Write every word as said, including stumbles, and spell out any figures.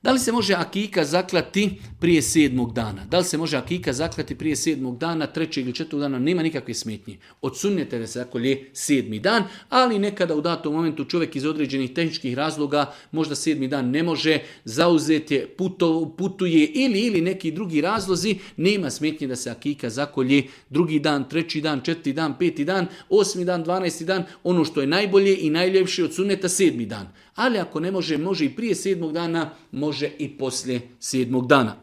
Da li se može akika zaklati prije sedmog dana? Da li se može akika zaklati prije sedmog dana, trećeg ili četvrtog dana? Nema nikakve smetnje. Od sunneta da se zakolje sedmi dan, ali nekada u datom momentu čovjek iz određenih tehničkih razloga možda sedmi dan ne može, zauzet je, puto, putuje ili ili neki drugi razlozi, nema smetnje da se akika zakolje drugi dan, treći dan, četvrti dan, peti dan, osmi dan, dvanaesti dan, ono što je najbolje i najljepše od sunneta sedmi dan. Ali ako ne može, može i prije sedmog dana, može i poslije sedmog dana.